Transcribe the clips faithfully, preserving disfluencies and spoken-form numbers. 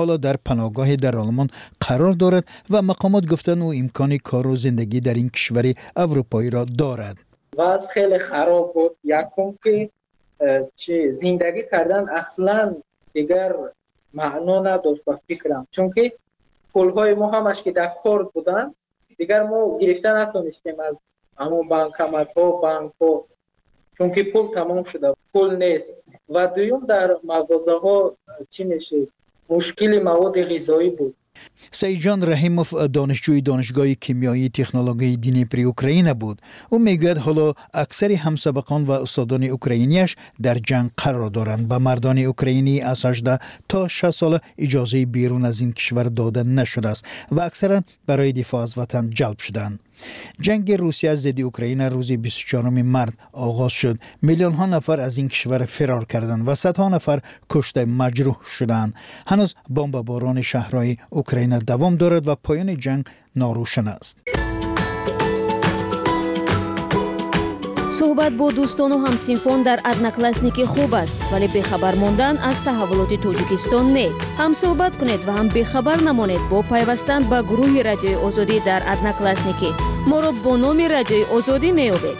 Ҳоло дар паноҳгоҳе дар Олмон қарор дорад ва мақомот гуфтанд, ӯ имкони кору зиндагӣ дар ин кишвари аврупоиро дорад. Вазъ хеле хароб буд. Якум ки чӣ зиндагӣ кардан аслан дигар маъно надошт ба фикрам, чунки пулҳои мо ҳамаш ки дар кор буданд, дигар мо гирифта натонистем аз ҳамон банкоматҳо, банкҳо, чунки пул тамом шуда, пул нест. Ва дуюм, дар мағозаҳо чӣ мешид, мушкили маводи ғизоӣ буд. Саидҷон Раҳимов донишҷӯи Донишгоҳи кимиёии технологияи Днепри Украина буд. Ӯ мегӯяд, ҳоло аксари ҳамсабақон ва устодони украинияш дар ҷанг қарор доранд. Ба мардони украинӣ аз ҳаждаҳ то шаст сола иҷозаи берун аз ин кишвар дода нашудааст ва аксаран барои дифоъ аз ватан ҷалб шуданд. Ҷанги Русия зидди Украина рӯзи бисту чаҳоруми март оғоз шуд. Миллионҳо нафар аз ин кишвар фирор карданд ва садҳо нафар кушта маҷрӯҳ шуданд. Ҳанӯз бомбаборони шаҳрҳои Украина давом дорад ва поёни ҷанг норӯшан аст. Суҳбат бо дӯстону ҳамсинфон дар Одноклассники хуб аст, вале бехабар мондан аз таҳаввулоти Тоҷикистон не. Ҳам суҳбат кунед ва ҳам бехабар намонед бо пайвастан ба гурӯҳи Радиои Озодӣ дар Одноклассники. Моро бо номи Радиои Озодӣ меёбед.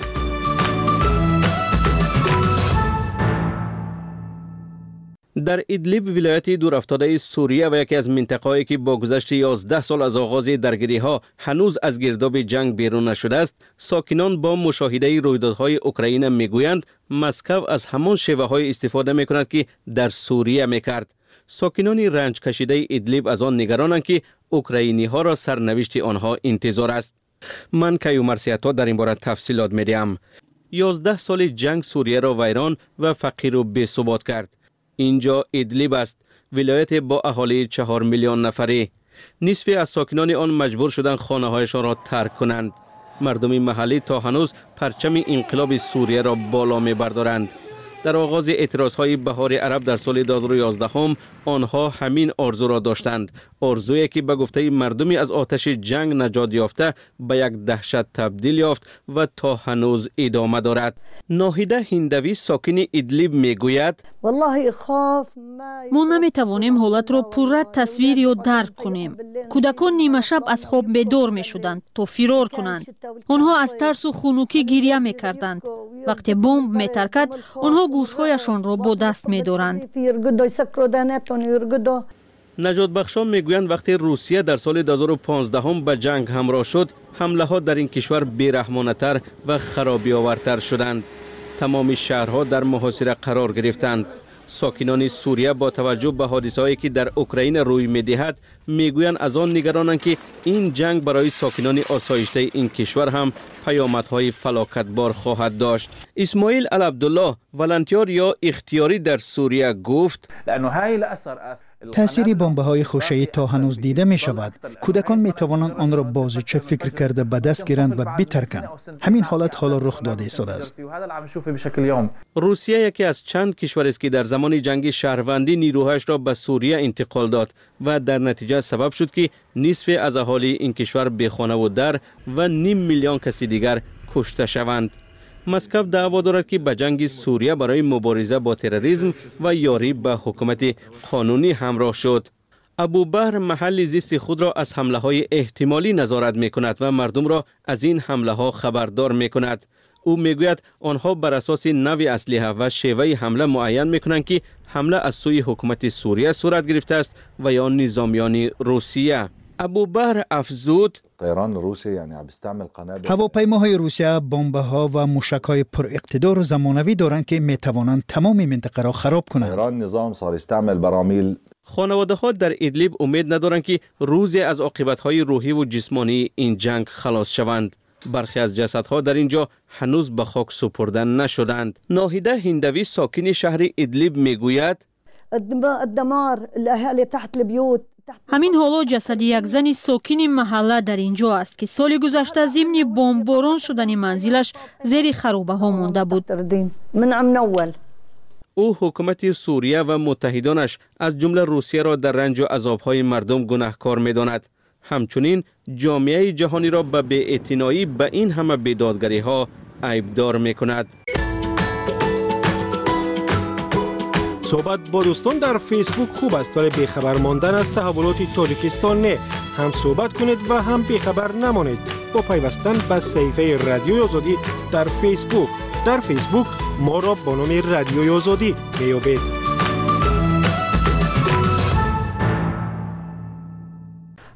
Дар Идлиб, вилояти дурафтодаи Сурия ва яке аз минтақаҳое ки бо гузашти ёздаҳ сол аз оғози даргириҳо ҳанӯз аз гирдоби ҷанг берун нашудааст, сокинон бо мушоҳидаи рӯйдодҳои Украина мегӯянд, Москав аз ҳамон шеваҳое истифода мекунад ки дар Сурия мекард. Сокинони ранҷкашидаи Идлиб аз он нигаронанд ки украиниҳоро сарнавишти онҳо интизор аст. Ман Каюм Марсиято дар ин бора тафсилот медиҳам. Ёздаҳ соли ҷанг Сурияро вайрон ва фақиру бесубот кард. Инҷо Идлиб аст, вилояте бо аҳолии чаҳор миллион нафарӣ. Нисфи аз сокинони он маҷбур шуданд хонаҳояшонро тарк кунанд. Мардуми маҳаллӣ то ҳанӯз парчами инқилоби Сурияро боло мебардоранд. Дар оғози эътирозҳои баҳори араб дар соли ду ҳазору ёздаҳум онҳо ҳамин орзуро доштанд. Орзуе ки ба гуфтаи мардуми аз оташи ҷанг наҷот ёфта ба як даҳшат табдил ёфт ва то ҳанӯз идома дорад. Ноҳида Ҳиндавӣ сокини Идлиб мегӯяд: Мо наметавонем ҳолатро пурра тасвир ё дарк кунем. Кӯдакон нимашаб аз хоб бедор мешуданд то фирор кунанд. Онҳо аз тарсу хунукӣ гиря мекарданд. Вақте бомб метаркад, онҳо гӯшҳояшонро бо даст медоранд. Наҷотбахшон мегӯянд, вақте Русия дар соли ду ҳазору понздаҳум ба ҷанг ҳамроҳ шуд, ҳамлаҳо дар ин кишвар бераҳмонатар ва харобиовартар шуданд. Тамоми шаҳрҳо дар муҳосира қарор гирифтанд. Сокинони Сурия бо таваҷҷӯҳ ба ҳодисаҳое ки дар Украина рӯй медиҳад, мегӯянд аз он нигаронанд ки ин ҷанг барои сокинони осоиштаи ин кишвар ҳам паёмадҳои фалокатбор хоҳад дошт. Исмоил Алабдуллоҳ, волонтёр ё ихтиёрӣ дар Сурия, гуфт: таъсири бомбаҳои хушаӣ то ҳанӯз дида мешавад. Кӯдакон метавонанд онро бозича фикр карда ба даст гиранд ва битарканд. Ҳамин ҳолат ҳоло рух дода истодааст. Русия яке аз чанд кишварест ки дар замони ҷанги шаҳрвандӣ нирӯҳояшро ба Сурия интиқол дод ва дар натиҷа сабаб шуд ки нисфе аз аҳолии ин кишвар бехонаву дар ва ним миллион каси дигар кушта шаванд. Москав даъво дорад ки ба ҷанги Сурия барои мубориза бо терроризм ва ёрӣ ба ҳукумати қонунӣ ҳамроҳ шуд. Абубаҳр маҳалли зисти худро аз ҳамлаҳои эҳтимолӣ назорат мекунад ва мардумро аз ин ҳамлаҳо хабардор мекунад. Ӯ мегӯяд, онҳо бар асоси навъи аслиҳа ва шеваи ҳамла муайян мекунанд ки ҳамла аз сӯи ҳукумати Сурия сурат гирифтааст ва ё низомиёни Русия. Абубаҳр афзуд: ҳавопаймоҳои Русия бомбаҳо ва мушакҳои пуриқтидору замонавӣ доранд ки метавонанд тамоми минтақаро хароб кунанд. Хонаводаҳо дар Идлиб умед надоранд ки рӯзе аз оқибатҳои рӯҳиву ҷисмонии ин ҷанг халос шаванд. Бархе аз ҷасадҳо дар ин ҷо ҳанӯз ба хок супурда нашуданд. Ноҳида Ҳиндавӣ сокини шаҳри Идлиб мегӯяд: ҳамин ҳоло ҷасади як зани сокини маҳалла дар ин ҷо аст ки соли гузашта зимни бомборон шудани манзилаш зери харобаҳо монда буд. Ӯ ҳукумати Сурия ва муттаҳидонаш аз ҷумла Русияро дар ранҷу азобҳои мардум гунаҳкор медонад. Ҳамчунин ҷомеаи ҷаҳониро ба беэътиноӣ ба ин ҳама бедодгариҳо айбдор мекунад. Суҳбат бо дӯстон дар Фейсбук хуб аст, вале бехабар мондан аз таҳаввулоти Тоҷикистон не. Ҳам суҳбат кунед ва ҳам бехабар намонед бо пайвастан ба саҳифаи Радиои Озодӣ дар Фейсбук. Дар Фейсбук моро бо номи Радиои Озодӣ меёбед.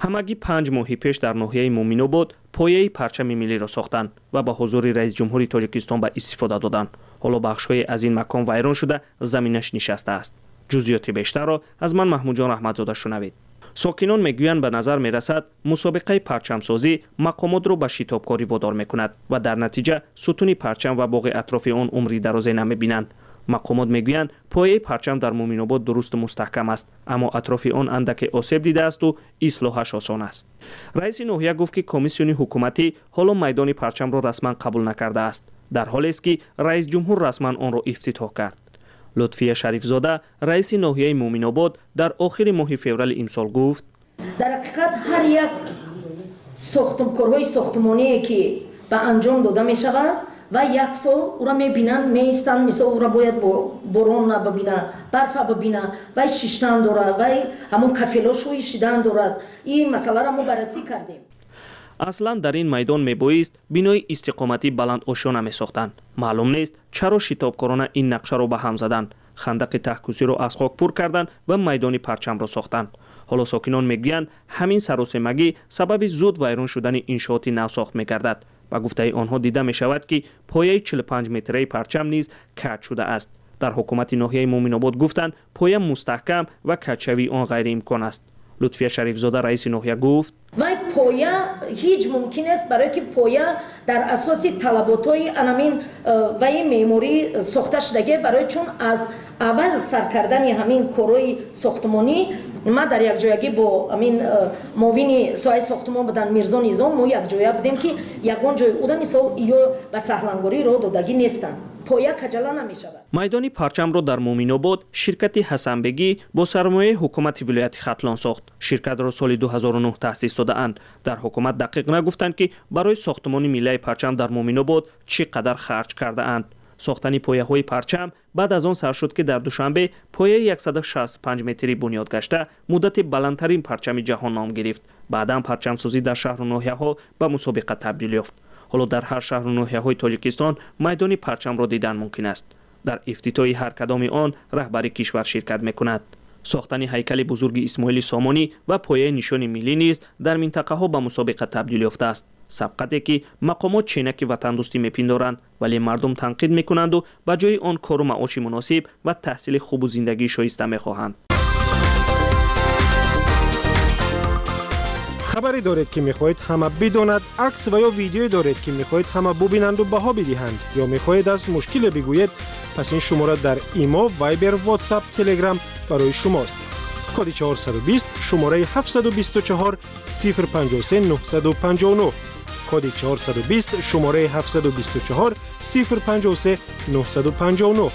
Ҳамагӣ панҷ моҳи пеш дар ноҳияи Муъминобод пояи парчами миллиро сохтанд ва ба ҳузури раиси ҷумҳури Тоҷикистон ба истифода доданд. Ҳоло бахшҳое аз ин макон вайрон шуда, заминаш нишастааст. Ҷузъиёти бештарро аз ман Маҳмудҷон Раҳматзода шунавед. Сокинон мегӯянд, ба назар мерасад мусобиқаи парчамсозӣ мақомотро ба шитобкорӣ водор мекунад ва дар натиҷа сутуни парчам ва боғи атрофи он умри дарозе намебинанд. Мақомот мегӯянд, пояи парчам дар Муъминобод дурусту мустаҳкам аст, аммо атрофи он андаке осеб дидаасту ислоҳаш осон аст. Раиси ноҳия гуфт, ки комиссиони ҳукуматӣ ҳоло майдони парчамро расман қабул накардааст, дар ҳолест ки раис ҷумҳур расман онро ифтитоҳ кард. Лутфия Шарифзода, раиси ноҳияи Муъминобод, дар охири моҳи феврали имсол гуфт: дар ҳақиқат ҳар як сохтмкорҳои сохтмоние ки ба анҷом дода мешавад ва як сол ура мебинанд, меистанд, мисол ура бояд борон бибина, барфа бибина, вай шиштан дорад, вай ҳамон кафелошҳои шидан дорад. Ин масъаларо мо баррасӣ кардем. Аслан дар ин майдон мебоист бинои истиқоматӣ баландошёна месохтанд. Маълум нест, чаро шитобкорона ин нақшаро ба ҳам заданд. Хандақи таҳкусиро аз хок пур карданд ва майдони парчамро сохтанд. Ҳоло сокинон мегӯянд, ҳамин саросемагӣ сабаби зуд вайрон шудани иншооти навсохт мегардад. Ба гуфтаи онҳо дида мешавад, ки пояи чилу панҷ метраи парчам низ каҷ шудааст. Дар ҳукумати ноҳияи Муъминобод гуфтанд, поя мустаҳкам ва каҷшавии он ғайриимкон аст. Лутфия Шарифзода, раиси ноҳия, гуфт: вай поя ҳеҷ мумкин аст, барое ки поя дар асоси талаботҳои анамин ваи меъморӣ сохта шудагӣ, барои чун аз аввал сар кардани ҳамин корҳои сохтмонӣ ма дар якҷоягӣ бо ҳамин муовини соҳаи сохтмон будан Мирзо Низом мо якҷоя будем, ки ягон ҷои уда мисол ё ба саҳлангорӣ роҳ додагӣ нестанд. Поя каҷала намешавад. Майдони парчамро дар Муъминобод ширкати Ҳасанбегӣ бо сармояи ҳукумати вилояти Хатлон сохт. Ширкатро соли ду ҳазору нӯҳ таъсис додаанд. Дар ҳукумат дақиқ нагуфтанд, ки барои сохтмони миллаи парчам дар Муъминобод чӣ қадар харҷ кардаанд. Сохтани пояҳои парчам баъд аз он сар шуд, ки дар Душанбе пояи яксаду шасту панҷ метрӣ бунёд гашта, муддати баландтарин парчами ҷаҳон ном гирифт. Баъдан парчамсозӣ дар шаҳру ноҳияҳо ба мусобиқа табдил ёфт. Ҳоло дар ҳар шаҳру ноҳияҳои Тоҷикистон майдони парчамро дидан мумкин аст. Дар ифтитоҳи ҳар кадоми он раҳбари кишвар ширкат мекунад. Сохтани ҳайкали бузурги Исмоили Сомонӣ ва пояи нишони миллӣ низ дар минтақаҳо ба мусобиқа табдил ёфтааст. Сабқате ки мақомот ченаки ватандӯстӣ мепиндоранд, вале мардум танқид мекунанду ба ҷои он кору маоши муносиб ва таҳсили хубу зиндагии шоиста мехоҳанд. Хабаре доред, ки мехоҳед ҳама бидонад, акс ва ё видеое доред, ки мехоҳед ҳама бубинанду баҳо бидиҳанд, ё мехоҳед аз мушкиле бигӯед, пас ин шумора дар Имо, Вайбер, Ватсап, Телеграм барои шумост. Коди чорсаду бист, шумораи ҳафтсаду бисту чор, сифр панҷоҳу се, нӯҳсаду панҷоҳу нӯҳ. Коди чорсаду бист, шумораи ҳафтсаду бисту чор, сифр панҷоҳу се, нӯҳсаду панҷоҳу нӯҳ.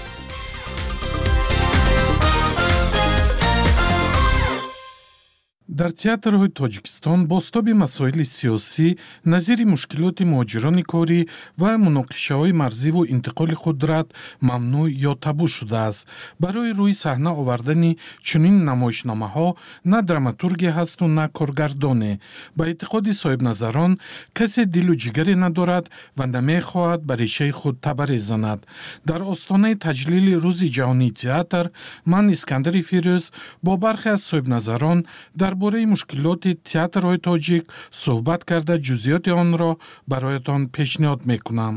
Дар театрҳои Тоҷикистон бозтоби масоили сиёсӣ назири мушкилоти муҳоҷирони корӣ ва муноқишаҳои марзиву интиқоли қудрат мамнӯъ ё табу шудааст. Барои рӯи саҳна овардани чунин намоишномаҳо на драматурге ҳасту на коргардоне. Ба эътиқоди соҳибназарон, касе дилу ҷигаре надорад ва намехоҳад ба решаи худ табаре занад. Дар остонаи таҷлили Рӯзи ҷаҳонии театр ман, Искандари Фирӯз, бо бархе аз соҳибназарон дар бораи мушкилоти театрҳои тоҷик суҳбат карда, ҷузъиёти онро бароятон пешниҳод мекунам.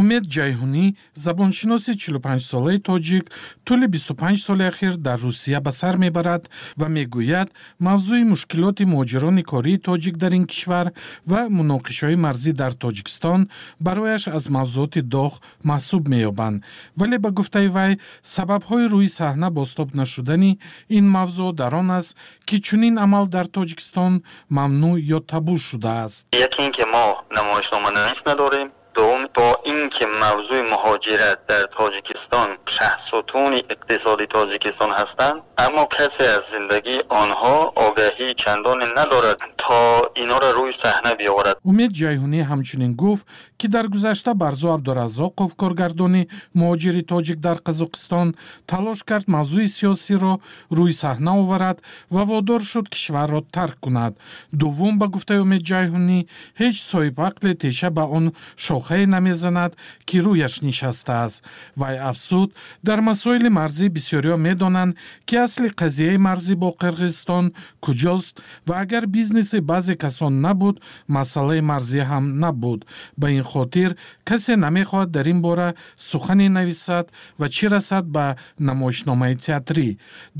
Умед Ҷайҳунӣ, забоншиноси чилу панҷсолаи тоҷик, тӯли бисту панҷ соли ахир дар Русия ба сар мебарад ва мегӯяд, мавзӯи мушкилоти муҳоҷирони кории тоҷик дар ин кишвар ва муноқишаҳои марзӣ дар Тоҷикистон барояш аз мавзӯоти доғ маҳсуб меёбанд. Вале ба гуфтаи вай, сабабҳои рӯи саҳна бозтоб нашудани ин мавзӯъ дар он аст, ки чунин амал дар Тоҷикистон мамнӯъ ё табу шудааст. Яке ин ки мо намоишноманавис надорем. دوم، با اینکه موضوع مهاجرت در تاجیکستان شهستون اقتصادی تاجیکستان هستند، اما کسی از زندگی آنها آگاهی چندان ندارد تا اینا را روی صحنه بیاورد. Умед Ҷайҳунӣ ҳамчунин гуфт, ки дар гузашта Барзу Абдураззоқов, коргардони муҳоҷири тоҷик дар Қазоқистон, талош кард мавзӯи сиёсиро рӯи саҳна оварад ва водор шуд кишварро тарк кунад. Дуввум, ба гуфтаи Умед Ҷайҳунӣ, ҳеҷ соҳибақле теша ба он шохае намезанад, ки рӯяш нишастааст. Вай афзуд, дар масоили марзӣ бисёриҳо медонанд, ки асли қазияи марзӣ бо Қирғизистон куҷост ва агар бизнеси баъзе касон набуд, масъалаи марзӣ ҳам набуд. Ба ин хотир касе намехоҳад дар ин бора сухане нависад ва чӣ расад ба намоишномаи театрӣ.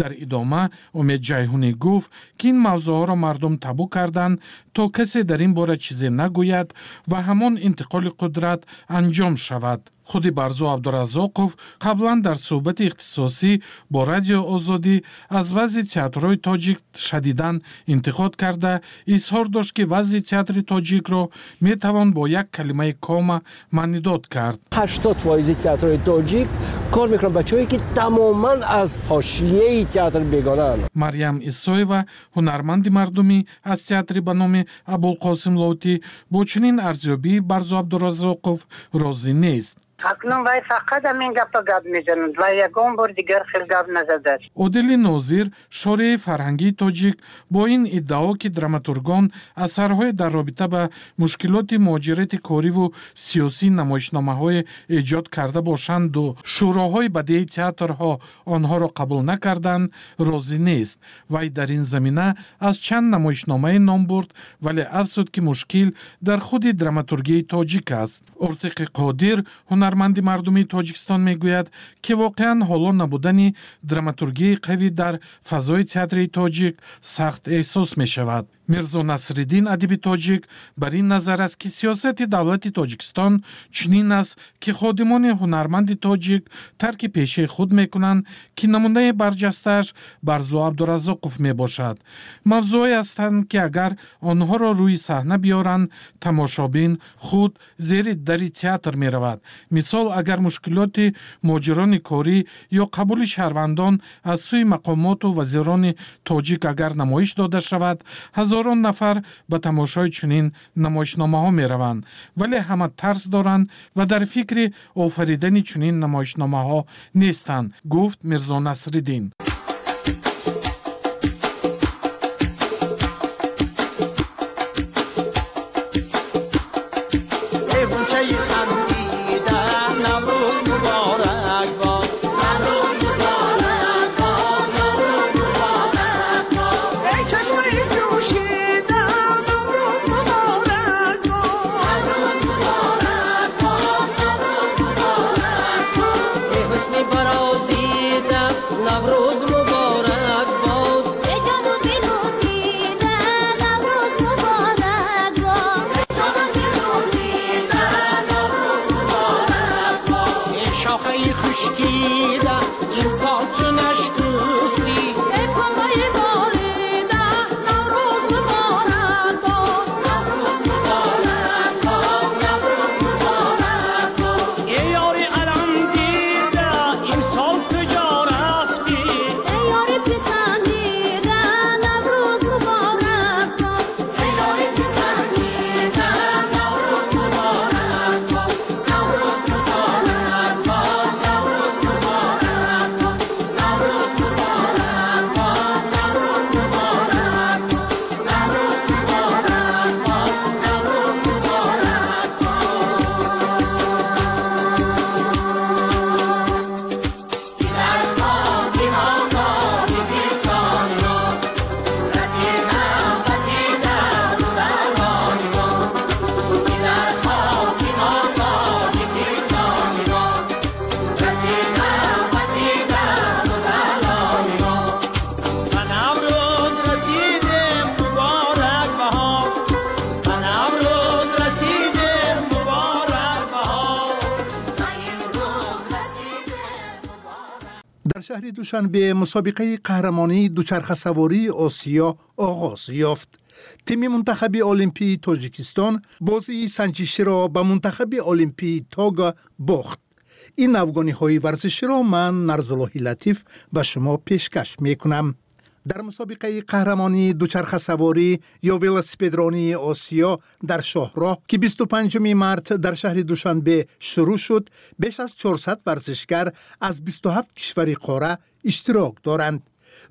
Дар идома Умед Ҷайҳунӣ гуфт, ки ин мавзӯъҳоро мардум табу карданд, то касе дар ин бора чизе нагӯяд ва ҳамон интиқоли қудрат анҷом шавад. Худи Барзу Абдураззоқов қаблан дар суҳбати ихтисосӣ бо Радио Озодӣ аз вазъи театрҳои тоҷик шадидан интиқод карда, изҳор дошт, ки вазъи театри тоҷикро метавон бо як калимаи кома маънидод кард. Ҳаштод фоизи театрҳои тоҷик кор мекунанд бачаҳое, ки тамоман аз ҳошияи театр бегонаанд. Марьям Исоева, ҳунарманди мардумӣ аз театри ба номи Абулқосим Лоҳутӣ, бо чунин арзёбии Барзу Абдураззоқов розӣ нест. Акнун вай фақат ҳамин гапа гап мезанад ва ягон бор дигар хел гап назадааст. Одили Нозир, шореҳи фарҳангии тоҷик, бо ин иддао, ки драматургон асарҳое дар робита ба мушкилоти муҳоҷирати кориву сиёсӣ намоишномаҳое эҷод карда бошанду шӯроҳои бадеи театрҳо онҳоро қабул накарданд, розӣ нест. Вай дар ин замина аз чанд намоишномае ном бурд, вале афзуд, ки мушкил дар худи драматургияи тоҷик аст. Ортиқи Қодир, ҳунарманди мардумии Тоҷикистон, мегӯяд, ки воқеан ҳоло набудани драматургияи қавӣ дар фазои театри тоҷик сахт эҳсос мешавад. Мирзо Насриддин, адиби тоҷик, бар ин назар аст, ки сиёсати давлати Тоҷикистон чунин аст, ки ходимони ҳунарманди тоҷик тарки пешаи худ мекунанд, ки намунаи барҷастааш Барзу Абдураззоқов мебошад. Мавзӯъҳое ҳастанд, ки агар онҳоро рӯи саҳна биёранд, тамошобин худ зери дари театр меравад. Мисол, агар мушкилоти муҳоҷирони корӣ ё қабули шаҳрвандон аз сӯи мақомоту вазирони тоҷик агар намоиш дода шавад, ҳазорон нафар ба тамошои чунин намоишномаҳо мераванд, вале ҳама тарс доранд ва дар фикри офаридани чунин намоишномаҳо нестанд, гуфт Мирзо Насриддин. Дар шаҳри Душанбе мусобиқаи қаҳрамонии дучархасавории Осиё оғоз ёфт. Тими мунтахаби олимпии Тоҷикистон бозии санҷиширо ба мунтахаби олимпии Того бохт. Ин навгониҳои варзиширо ман, Нарзуллоҳи Латиф, ба шумо пешкаш мекунам. Дар мусобиқаи қаҳрамонии дучархасаворӣ ё велосипедронии Осиё дар шоҳроҳ, ки бисту панҷуми март дар шаҳри Душанбе шурӯъ шуд, беш аз чорсад варзишгар аз бисту ҳафт кишвари қора иштирок доранд.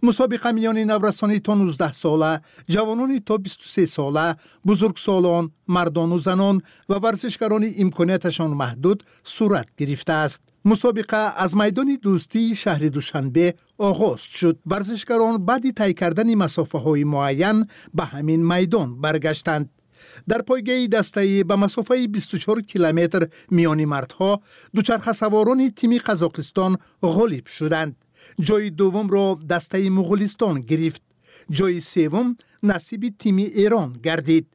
Мусобиқа миёни наврасони то нуздаҳ сола, ҷавонони то бисту се сола, бузургсолон, мардону занон ва варзишгарони имконияташон маҳдуд сурат гирифтааст. Мусобиқа аз майдони Дӯстии шаҳри Душанбе оғоз шуд. Варзишгарон баъди тай кардани масофаҳои муайян ба ҳамин майдон баргаштанд. Дар пойгаи дастаӣ ба масофаи бисту чор километр миёни мардҳо дучархасаворони тими Қазоқистон ғолиб шуданд. Ҷои дуввумро дастаи Муғулистон гирифт. Ҷои севум насиби тими Эрон гардид.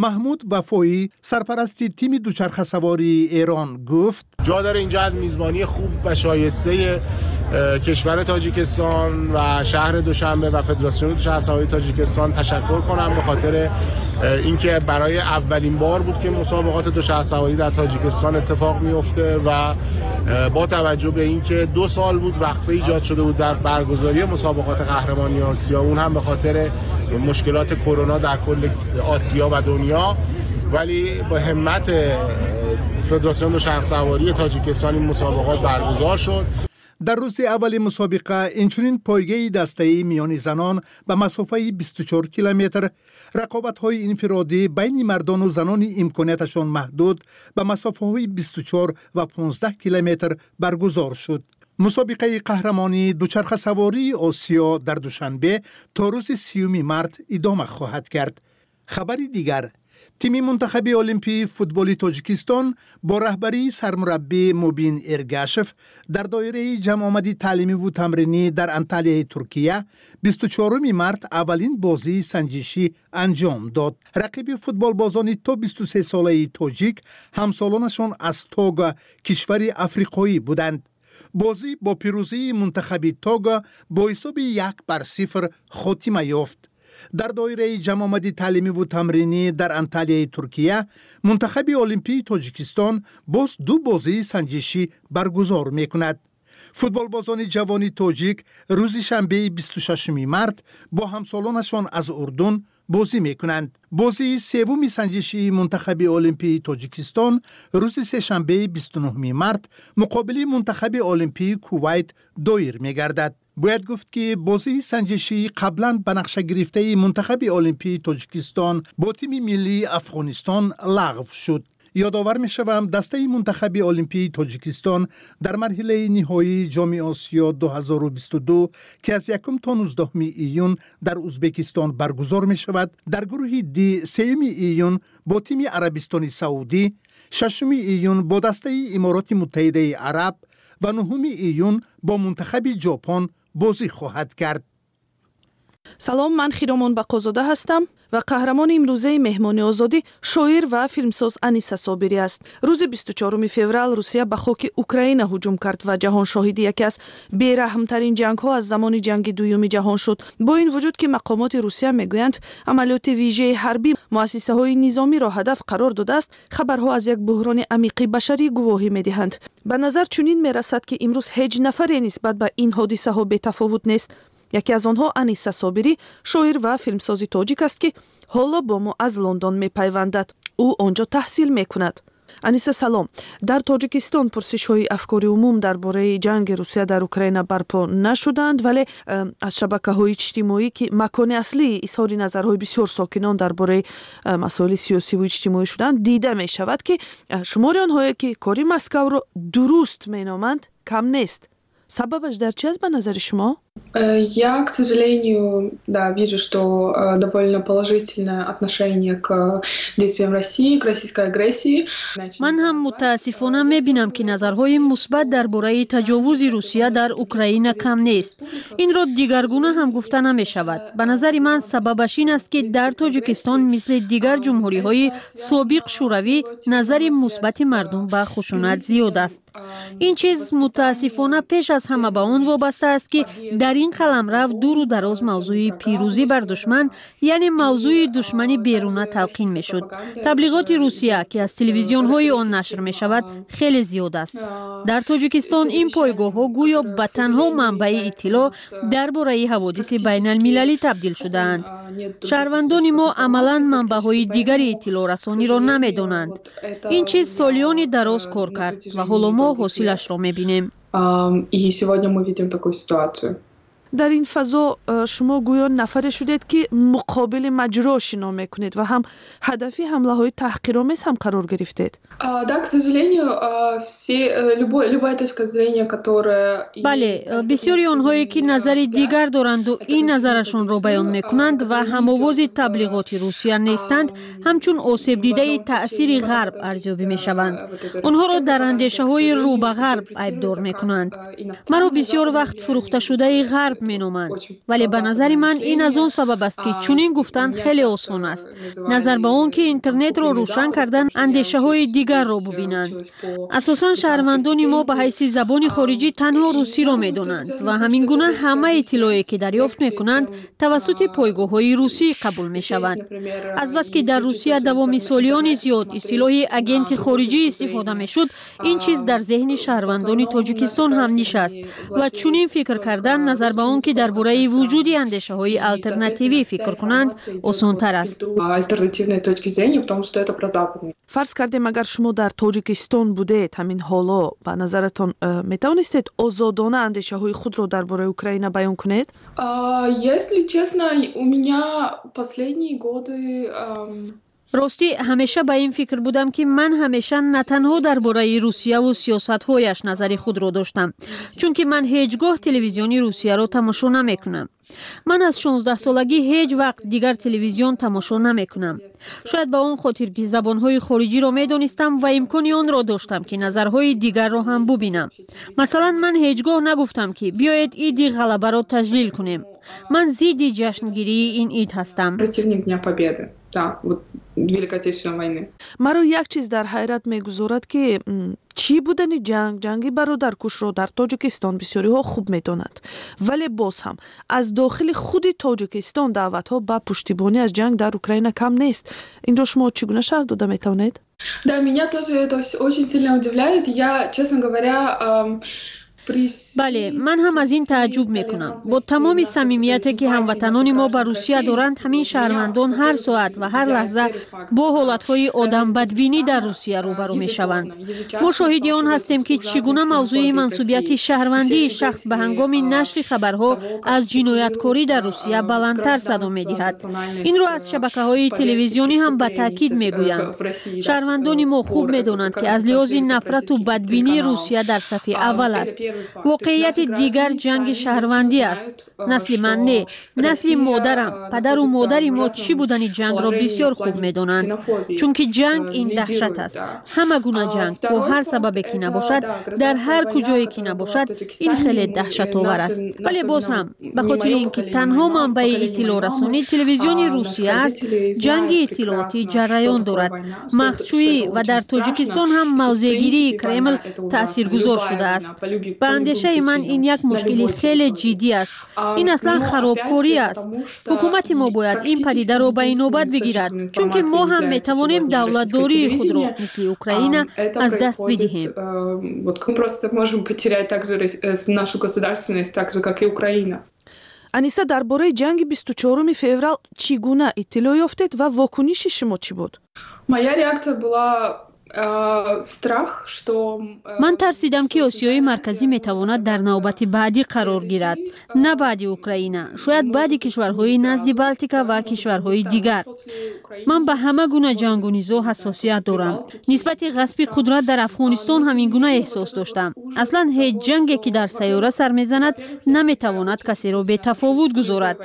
Маҳмуд Вафоӣ, сарпарасти тими дучархасавории Эрон, гуфт: ҷо дاره اینجا از میزبانی خوب و شایسته کشور تاجیکستان و شهر دوشنبه و فدراسیون دوچرخه‌سواری تاجیکستان تشکر کنم به خاطر اینکه برای اولین بار بود که مسابقات دوچرخه‌سواری در تاجیکستان اتفاق میفته و با توجه به اینکه دو سال بود وقفه ایجاد شده بود در برگزاری مسابقات قهرمانی آسیا، اون هم به خاطر مشکلات کرونا در کل آسیا و دنیا، ولی با همت فدراسیون دوچرخه‌سواری تاجیکستان این مسابقات برگزار شد. Дар рӯзи аввали мусобиқа инчунин пойгаи дастаӣ миёни занон ба масофаи бисту чор километр, рақобатҳои инфиродӣ байни мардону занони имконияташон маҳдуд ба масофаҳои бисту чор ва понздаҳ километр баргузор шуд. Мусобиқаи қаҳрамонии дучархасавории Осиё дар Душанбе то рӯзи сиюми март идома хоҳад кард. Хабари дигар: тими мунтахаби олимпии футболи Тоҷикистон бо раҳбарии сармураббӣ Мубин Эргашев дар доираи ҷамъомади таълимиву тамринӣ дар Анталияи Туркия бисту чоруми март аввалин бозии санҷишӣ анҷом дод. Рақиби футболбозони то бисту се солаи тоҷик ҳамсолонашон аз Того, кишвари африқоӣ буданд. Бозӣ бо пирӯзии мунтахаби Того бо ҳисоби як бар сифр хотима ёфт. Дар доираи ҷамъомади таълимиву тамринӣ дар Анталияи Туркия мунтахаби олимпии Тоҷикистон боз ду бозии санҷишӣ баргузор мекунад. Футболбозони ҷавони тоҷик рӯзи шанбеи бисту шашуми март бо ҳамсолонашон аз Урдун бозӣ мекунанд. Бозии севуми санҷишии мунтахаби олимпии Тоҷикистон рӯзи сешанбеи бисту нуҳуми март муқобили мунтахаби олимпии Кувайт доир мегардад. Бояд гуфт, ки бозии санҷишии қаблан ба нақша гирифтаи мунтахаби олимпии Тоҷикистон бо тими миллии Афғонистон лағв шуд. Ёдовар мешавам, дастаи мунтахаби олимпии Тоҷикистон дар марҳилаи ниҳоии Ҷоми Осиё ду ҳазору бисту ду, ки аз якум то нуздаҳуми июн дар Узбекистон баргузор мешавад, дар гурӯҳи Д сеюми июн бо тими Арабистони Саудӣ, шашуми июн бо дастаи Имороти Муттаҳидаи Араб ва нуҳуми июн бо мунтахаби Ҷопон бозӣ хоҳад кард. Салом, ман Хиромон Бақозода ҳастам ва қаҳрамони имрӯзаи меҳмони озодӣ шоир ва филмсоз Аниса Собирӣ аст. Рӯзи бисту чоруми феврал Русия ба хоки Украина ҳуҷум кард ва ҷаҳон шоҳиди яке аз бераҳмтарин ҷангҳо аз замони ҷанги дуюми ҷаҳон шуд. Бо ин вуҷуд ки мақомоти Русия мегӯянд амалиёти вижаи ҳарбӣ муассисаҳои низомиро ҳадаф қарор додааст, хабарҳо аз як буҳрони амиқи башарӣ гувоҳӣ медиҳанд. Ба назар чунин мерасад, ки имрӯз ҳеҷ нафаре нисбат ба ин ҳодисаҳо бетафовут нест. Яке аз онҳо Аниса Собирӣ, шоир ва филмсози тоҷик аст, ки ҳоло бо мо аз Лондон мепайвандад. Ӯ онҷо таҳсил мекунад. Аниса, салом. Дар Тоҷикистон пурсишҳои афкори умум дар бораи ҷанги Русия дар Украина барпо нашуданд, вале аз шабакаҳои иҷтимоӣ, ки макони аслии изҳори назарҳои бисёр сокинон дар бораи масоили сиёсиву иҷтимоӣ шуданд, дида мешавад, ки шумори онҳое ки кори Москавро дуруст меноманд, кам нест. Сабабаш дар чи аст ба назари шумо? Я, к сожалению, да, вижу, что довольно положительное отношение к действиям России, к российской агрессии. Ман ҳам мутаассифона мебинам, ки назарҳои мусбат дар бораи таҷовузи Русия дар Украина кам нест. Инро дигаргуна ҳам гуфта намешавад. Ба назари ман сабабаш ин аст, ки дар Тоҷикистон мисли дигар ҷумҳуриҳои собиқ шӯравӣ назари мусбати мардум ба хушунат зиёд аст. Ин чиз мутаассифона пеш аз ҳама ба он вобаста аст, ки Дар ин қаламрав дуру дароз мавзӯи пирӯзӣ бар душман, яъне мавзӯи душмани беруна талқин мешуд. Таблиғоти Русия, ки аз телевизионҳои он нашр мешавад, хеле зиёд аст. Дар Тоҷикистон ин пойгоҳҳо гӯё ба танҳо манбаи иттилоъ дар бораи ҳаводиси байналмилалӣ табдил шудаанд. Шаҳрвандони мо амалан манбаъҳои дигари иттилоърасониро намедонанд. Ин чиз солиёни дароз кор кард ва ҳоло мо ҳосилашро мебинем. И сегодня мы видим такую ситуацию. Дар ин фазо э, шумо гӯё нафаре шудед, ки муқобили маҷро шино мекунед ва ҳам ҳадафи ҳамлаҳои таҳқиромез ҳам қарор гирифтед. Да, к сожалению, все э, любой любая точка зрения, которая Бале, бисёри онҳое, ки назари дигар доранду ин назарашонро баён мекунанд ва ҳамовози таблиғоти Русия нестанд, ҳамчун осебдидаи таъсири Ғарб арзёбӣ мешаванд. Онҳоро дар андешаҳои рӯ ба Ғарб айбдор мекунанд. Маро бисёр вақт фурӯхташудаи Ғарб меноманд, вале ба назари ман ин аз он сабаб аст, ки чунин гуфтан хеле осон аст, назар ба он ки интернетро рӯшан кардан андешаҳои дигарро бубинанд. Асосан шаҳрвандони мо ба ҳайси забони хориҷӣ танҳо русиро медонанд ва ҳамин гуна ҳама иттилоъе, ки дарёфт мекунанд, тавассути пойгоҳҳои русӣ қабул мешаванд. Азбаски дар Русия давоми солиёни зиёд истилоҳи агенти хориҷӣ истифода мешуд, ин чиз дар зеҳни шаҳрвандони Тоҷикистон ҳам нишаст ва чунин фикр кардан, назар ба он ки дар бораи вуҷуди андешаҳои алтернативӣ фикр кунанд, осонтар аст. Фарз кардем, агар шумо дар Тоҷикистон будед, ҳамин ҳоло ба назаратон э, метавонистед озодона андешаҳои худро дар бораи Украина баён кунед? Если честно, у меня последние годы Ростӣ, ҳамеша ба ин фикр будам, ки ман ҳамеша на танҳо дар бораи Русияву сиёсатҳояш назари худро доштам, чунки ман ҳеҷ гоҳ телевизиони Русияро тамошо намекунам. Ман аз шонздаҳсолагӣ ҳеҷ вақт дигар телевизион тамошо намекунам. Шояд ба он хотир, ки забонҳои хориҷиро медонистам ва имкони онро доштам, ки назарҳои дигарро ҳам бубинам. Масалан, ман ҳеҷ гоҳ нагуфтам, ки биёед Иди Ғалабаро таҷлил кунем. Ман зидди ҷашнгирии ин ид ҳастам. Противник Дня Победы, да, вот Великой Отечественной войны. Маро як чиз дар ҳайрат мегузорад, ки чӣ будани ҷанг, ҷанги бародаркушро дар Тоҷикистон бисёриҳо хуб медонанд, вале боз ҳам аз дохили худи Тоҷикистон даъватҳо ба пуштибонӣ аз ҷанг дар Украина кам нест. Инро шумо чӣ гуна шарҳ дода метавонед? Да, меня тоже это очень сильно удивляет. Я, честно говоря, Бале, ман ҳам аз ин тааҷҷуб мекунам. Бо тамоми самимияте, ки ҳамватанони мо ба Русия доранд, ҳамин шаҳрвандон ҳар соат ва ҳар лаҳза бо ҳолатҳои одамбадбинӣ дар Русия рӯбарӯ мешаванд. Мо шоҳиди он ҳастем, ки чӣ гуна мавзӯи мансубияти шаҳрвандии шахс ба ҳангоми нашри хабарҳо аз ҷинояткорӣ дар Русия баландтар садо медиҳад. Инро аз шабакаҳои телевизионӣ ҳам ба таъкид мегӯянд. Шаҳрвандони мо хуб медонанд, ки аз лиҳози нафрату бадбинӣ Русия дар сафи аввал аст. Воқеияти дигар ҷанги шаҳрвандӣ аст. Насли ман не, насли модарам, падару модари мо чӣ будани ҷангро бисёр хуб медонанд, чунки ҷанг ин даҳшат аст. Ҳама гуна ҷанг, бо ҳар сабабе ки набошад, дар ҳар куҷое ки набошад, ин хеле даҳшатовар аст. Вале боз ҳам, ба хотири ин ки танҳо манбаи иттилоърасонӣ телевизиони Русия аст, ҷанги иттилоотӣ ҷараён дорад, махзшӯӣ, ва дар Тоҷикистон ҳам мавзеъгирии Кремл таъсиргузор шудааст. Ба андешаи ман, ин як мушкили хеле ҷиддӣ аст. Ин аслан харобкорӣ аст. Ҳукумати мо бояд ин падидаро ба инобат бигирад, чунки мо ҳам метавонем давлатдории худро мисли Украина аз даст бидиҳем. Просто можем потерять также э, нашу государственность, так же как и Украина. Аниса, дар бораи ҷанги бисту чоруми феврал чӣ гуна иттилоъ ёфтед ва вокуниши шумо чӣ буд? Моя реакция была страх, что Ман тарсидам, ки Осиёи Марказӣ метавонад дар навбати баъдӣ қарор гирад, на баъди Украина, шояд баъди кишварҳои назди Балтика ва кишварҳои дигар. Ман ба ҳама гуна ҷангу низоъ ҳассосият дорам. Нисбати ғасби қудрат дар Афғонистон ҳамин гуна эҳсос доштам. Аслан ҳеҷ ҷанге, ки дар сайёра сар мезанад, наметавонад касеро бетафовут гузорад,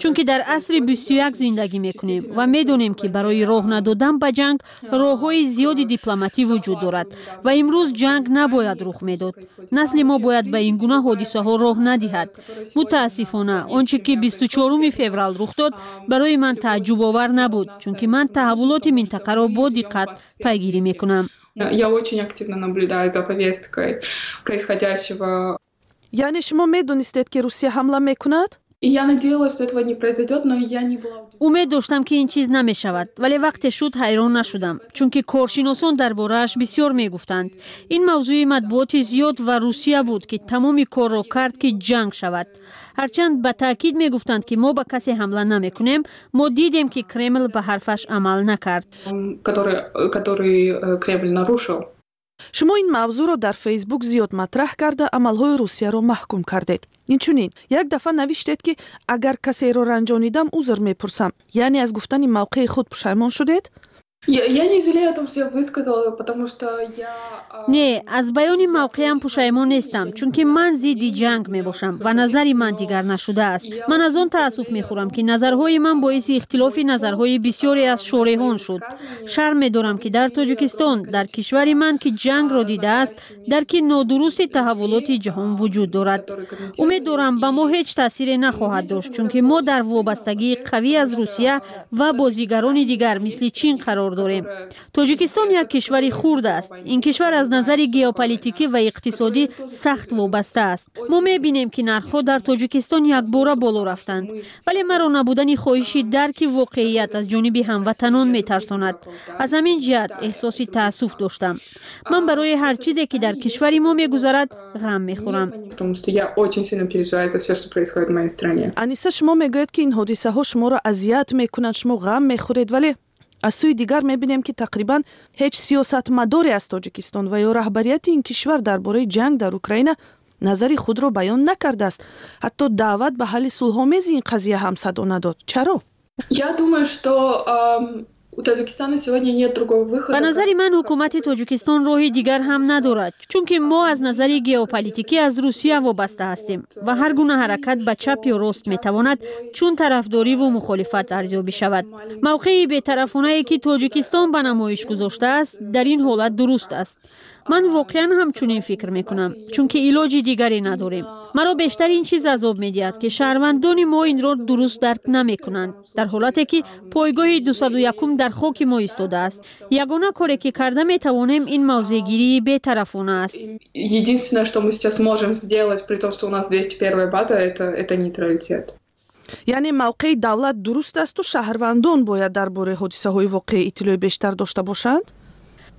чунки дар асри бисту як зиндагӣ мекунем ва медонем, ки барои роҳ надодан ба ҷанг роҳҳои зиёди дипломатӣ вуҷуд дорад ва имрӯз ҷанг набояд рух медод. Насли мо бояд ба ин гуна ҳодисаҳо роҳ надиҳад. Мутаассифона, он чӣ ки бисту чоруми феврал рух дод, барои ман тааҷҷубовар набуд, чунки ман таҳаввулоти минтақаро бо диққат пайгирӣ мекунам. Я очень активно наблюдаю за повесткой происходящего. Яъне шумо медонистед, ки Русия ҳамла мекунад? Я надеялась, что этого не произойдет, но я не была. Умед доштам, ки ин чиз намешавад, вале вақте шуд, ҳайрон нашудам, чунки коршиносон дар борааш бисёр мегуфтанд. Ин мавзӯи матбуоти зиёд ва Русия буд, ки тамоми корро кард, ки ҷанг шавад. Ҳарчанд ба таъкид мегуфтанд, ки мо ба касе ҳамла намекунем, мо дидем, ки Кремл ба ҳарфаш амал накард. Который э, Кремль нарушил. Шумо ин мавзӯъро дар Фейсбук зиёд матраҳ карда, амалҳои Русияро маҳкум кардед. Инчунин як дафъа навиштед, ки агар касеро ранҷонидам, узр мепурсам. Яъне аз гуфтани мавқеи худ пушаймон шудед? Я, я не жалею о том, что я высказала, потому что я. Не, аз баёни мавқеам пушаймон нестам, чунки ман зидди ҷанг мебошам ва назари ман дигар нашудааст. Ман аз он таассуф мехӯрам, ки назарҳои ман боиси ихтилофи назарҳои бисёре аз шореҳон шуд. Шарм медорам, ки дар Тоҷикистон, дар кишвари ман, ки ҷангро дидааст, дарки нодурусти таҳаввулоти ҷаҳон вуҷуд дорад. Умед дорам, ба мо ҳеҷ таъсире нахоҳад дошт, чунки мо дар вобастагии қавӣ аз Русия ва бозигарони дигар мисли Чин қарор дорем. Тоҷикистон як кишвари хурд аст. Ин кишвар аз назари геополитикӣ ва иқтисодӣ сахт вобаста аст. Мо мебинем, ки нархҳо дар Тоҷикистон якбора боло рафтанд, вале маро набудани хоҳиши дарки воқеият аз ҷониби ҳамватанон метарсонад. Аз ҳамин ҷиҳат эҳсоси таассуф доштам. Ман барои ҳар чизе, ки дар кишвари мо мегузарад, ғам мехӯрам. Аниса, шумо мегӯед, ки ин ҳодисаҳо шуморо азият мекунанд, шумо ғам мехӯред, вале аз сӯи дигар мебинем, ки тақрибан ҳеҷ сиёсатмадоре аз Тоҷикистон ва ё раҳбарияти ин кишвар дар бораи ҷанг дар Украина назари худро баён накардааст. Ҳатто даъват ба ҳалли сулҳомези ин қазия ҳам садо надод. Чаро? Я думаю, что у Таджикистана сегодня нет другого выхода. Ба назари ман, ҳукумати Тоҷикистон роҳи дигар ҳам надорад, чунки мо аз назари геополитикӣ аз Русия вобаста ҳастем ва ҳар гуна ҳаракат ба чап ё рост метавонад чун тарафдориву мухолифат арзёбӣ шавад. Мавқеи бетарафонае, ки Тоҷикистон ба намоиш гузоштааст, дар ин ҳолат дуруст аст. Ман воқеан ҳамчунин фикр мекунам, чунки илоҷи дигаре надорем. Маро бештар ин чиз азоб медиҳад, ки шаҳрвандони мо инро дуруст дарк намекунанд, дар ҳолате ки пойгоҳи дусаду якум дар хоки мо истодааст. Ягона коре, ки карда метавонем, ин мавзеъгирии бетарафона аст. Единственное, что мы сейчас можем сделать, при том, что у нас двести первая база, это это нейтралитет. Яъне мавқеи давлат дуруст асту шаҳрвандон бояд дар бораи ҳодисаҳои воқеӣ иттилои бештар дошта бошанд?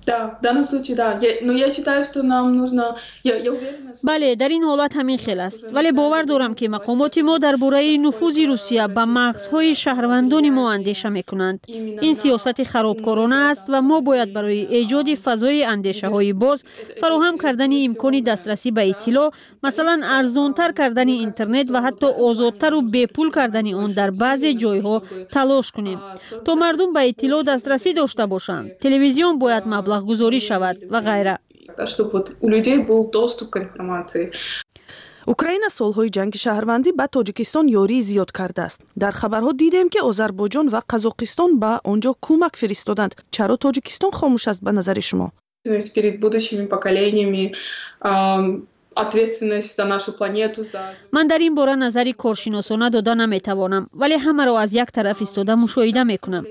Да, в данном случае да. Я, но я считаю, что нам нужно. Я, я уверена, что. Бале, дар ин ҳолат ҳамин хел аст, вале бовар дорам, ки мақомоти мо дар бораи нуфузи Русия ба мағзҳои шаҳрвандони мо андеша мекунанд. Ин сиёсати харобкорона аст ва мо бояд барои эҷоди фазои андешаҳои боз, фароҳам кардани имкони дастрасӣ ба иттилоъ, масалан, арзонтар кардани интернет ва ҳатто озодтару бепул кардани он дар баъзе ҷойҳо талош кунем, то мардум ба иттилоъ дастрасӣ дошта бошанд. Телевизион бояд маблағгузорӣ шавад ва ғайра. Чтобы вот у людей был доступ к информации. Украина солҳои ҷанги шаҳрвандӣ ба Тоҷикистон ёрии зиёд кардааст. Дар хабарҳо дидем, ки Озарбойҷон ва Қазоқистон ба он ҷо кӯмак фиристоданд. Чаро Тоҷикистон хомӯш аст, ба назари шумо? Перед будущими поколениями, ответственность за нашу планету, за. Ман дар ин бора назари коршиносона дода наметавонам, вале ҳамаро аз як тараф истода мушоҳида мекунам.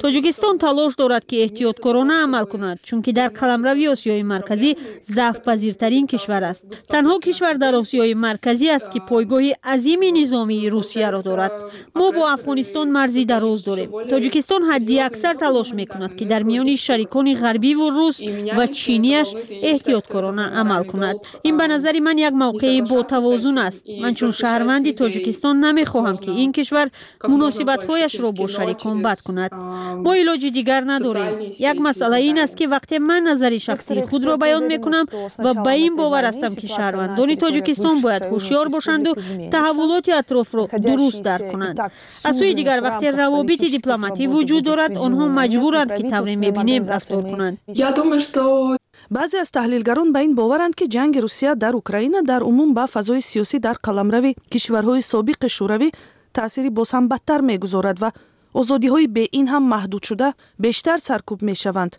Тоҷикистон талош дорад, ки эҳтиёткорона амал кунад, чунки дар қаламрави Осиёи Марказӣ заъфпазиртарин кишвар аст. Танҳо кишвар дар Осиёи Марказӣ аст, ки пойгоҳи азими низомии Русияро дорад. Мо бо Афғонистон марзи дароз дорем. Тоҷикистон ҳадди аксар талош мекунад, ки дар миёни шарикони ғарбиву рус ва чинияш эҳтиёткорона амал кунад. Ин ба назари ман як мавқеи ботавозун аст. Ман чун шаҳрванди Тоҷикистон намехоҳам, ки ин кишвар муносибатҳояшро бо шарикон бад кунад. Мо илоҷи дигар надорем. Як масъала ин аст, ки вақте ман назари шахсии худро баён мекунам ва ба ин бовар ҳастам, ки шаҳрвандони Тоҷикистон бояд ҳушёр бошанду таҳаввулоти атрофро дуруст дарк кунанд. Аз сӯи дигар, вақте равобити дипломатӣ вуҷуд дорад, онҳо маҷбуранд, ки тавре мебинем рафтор кунанд. Я думаю, что Баъзе аз таҳлилгарон ба ин боваранд, ки ҷанги Русия дар Украина дар умум ба фазои сиёсӣ дар қаламрави кишварҳои собиқи Шӯравӣ таъсири боз ҳам бадтар мегузорад ва озодиҳои беин ҳам маҳдудшуда бештар саркӯб мешаванд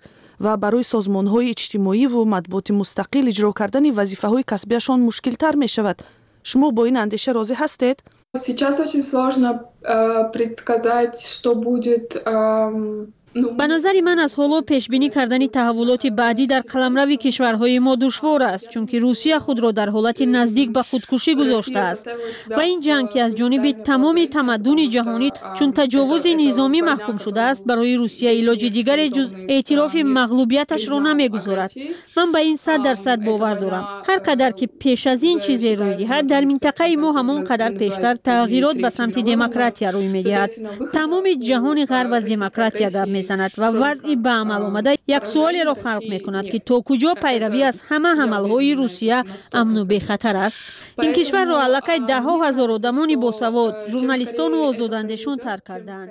ва барои созмонҳои иҷтимоиву матбуоти мустақил иҷро кардани вазифаҳои касбиашон мушкилтар мешавад. Шумо бо ин андеша розӣ ҳастед? Сейчас очень сложно э, предсказать, что будет. Э, Ба назари ман, аз ҳоло пешбинӣ кардани таҳаввулоти баъдӣ дар қаламрави кишварҳои мо душвор аст, чунки Русия худро дар ҳолати наздик ба худкушӣ гузоштааст ва ин ҷанг, ки аз ҷониби тамоми тамаддуни ҷаҳонӣ чун таҷовузи низомӣ маҳкум шудааст, барои Русия илоҷи дигаре ҷуз эътирофи мағлубияташро намегузорад. Ман ба ин сад дарсад бовар дорам. Ҳар қадар ки пеш аз ин чизе рӯй диҳад, дар минтақаи мо ҳамон қадар пештар тағйирот ба самти демократия рӯй медиҳад. Тамоми ҷаҳони ғарб аз демократия гап мезанад ва вазъи ба амал омада як суолеро халқ мекунад, ки то куҷо пайравӣ аз ҳама ҳамалҳои Русия амну бехатар аст. Ин кишварро аллакай даҳҳо ҳазор одамони босавод, журналистону озодандешон тарк кардаанд.